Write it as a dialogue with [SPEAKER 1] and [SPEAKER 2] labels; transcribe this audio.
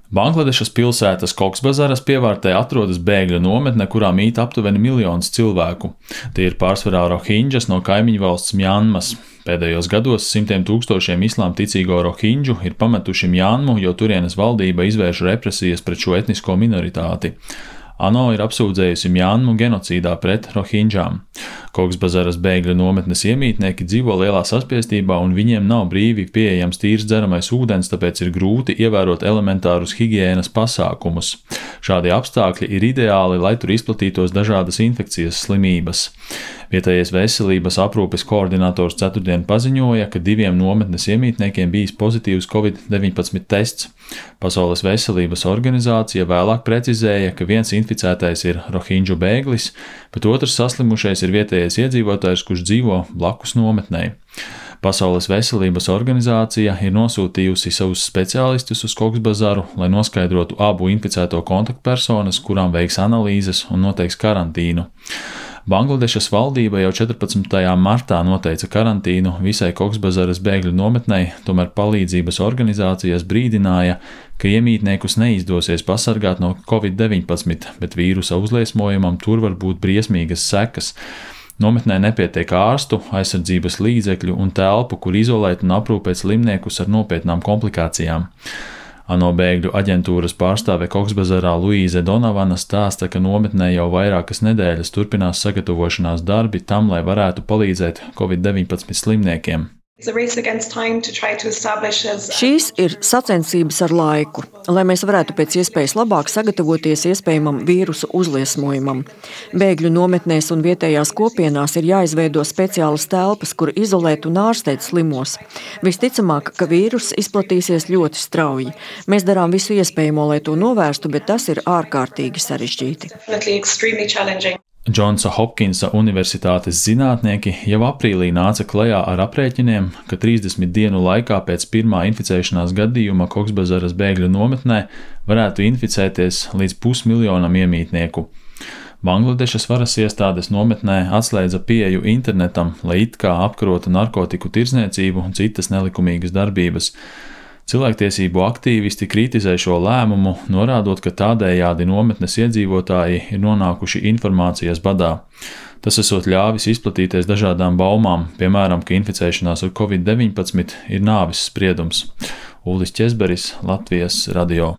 [SPEAKER 1] Bangladešas pilsētas Koksbazaras pievārtē atrodas bēgļu nometne, kurā mīt aptuveni 1 miljons cilvēku. Tie ir pārsvarā rohinģas no kaimiņu valsts Mjanmas. Pēdējos gados simtiem tūkstošiem islāma ticīgo rohinģu ir pametuši Mjanmu, jo turienes valdība izvērš represijas pret šo etnisko minoritāti. ANO ir apsūdzējusi Mjanmu genocīdā pret rohinģām. Koksbazaras bēgļu nometnes iemītnieki dzīvo lielā saspiestībā un viņiem nav brīvi pieejams tīrs dzeramais ūdens, tāpēc ir grūti ievērot elementārus higienas pasākumus. Šādi apstākļi ir ideāli, lai tur izplatītos dažādas infekcijas slimības. Vietējais veselības aprūpes koordinators ceturtdien paziņoja, ka 2 nometnes iemītniekiem bijis pozitīvs Covid-19 tests. Pasaules veselības organizācija vēlāk precizēja, ka viens inficētais ir rohinģu bēglis, bet otrs saslimušais ir vietējais iedzīvotājs, kurš dzīvo blakus nometnei. Pasaules veselības organizācija ir nosūtījusi savus speciālistus uz Koksbazaru, lai noskaidrotu abu inficēto kontaktpersonas, kurām veiks analīzes un noteiks karantīnu. Bangladešas valdība jau 14. martā noteica karantīnu visai Koksbazaras bēgļu nometnei, tomēr palīdzības organizācijas brīdināja, ka iemītniekus neizdosies pasargāt no Covid-19, bet vīrusa uzliesmojumam tur var būt briesmīgas sekas. Nometnē nepietiek ārstu, aizsardzības līdzekļu un telpu, kur izolēt un aprūpēt slimniekus ar nopietnām komplikācijām. ANO bēgļu aģentūras pārstāve Koksbazarā Luīze Donavana stāsta, ka nometnē jau vairākas nedēļas turpinās sagatavošanās darbi tam, lai varētu palīdzēt Covid-19 slimniekiem.
[SPEAKER 2] Šīs ir sacensības ar laiku, lai mēs varētu pēc iespējas labāk sagatavoties iespējamam vīrusu uzliesmojumam. Bēgļu nometnēs un vietējās kopienās ir jāizveido speciālas telpas, kur izolēt un ārstēt slimos. Visticamāk, ka vīruss izplatīsies ļoti strauji. Mēs darām visu iespējamo, lai to novērstu, bet tas ir ārkārtīgi sarežģīti.
[SPEAKER 1] Džonsa Hopkinsa Universitātes zinātnieki jau aprīlī nāca klajā ar aprēķiniem, ka 30 dienu laikā pēc pirmā inficēšanās gadījuma Koksbazaras bēgļu nometnē varētu inficēties līdz 500 000 iemītnieku. Bangladešas varas iestādes nometnē atslēdza pieeju internetam, lai it kā apkarotu narkotiku tirdzniecību un citas nelikumīgas darbības. Cilvēktiesību aktīvisti kritizē šo lēmumu, norādot, ka tādējādi nometnes iedzīvotāji ir nonākuši informācijas badā. Tas esot ļāvis izplatīties dažādām baumām, piemēram, ka inficēšanās ar Covid-19 ir nāves spriedums. Uldis Česberis, Latvijas radio.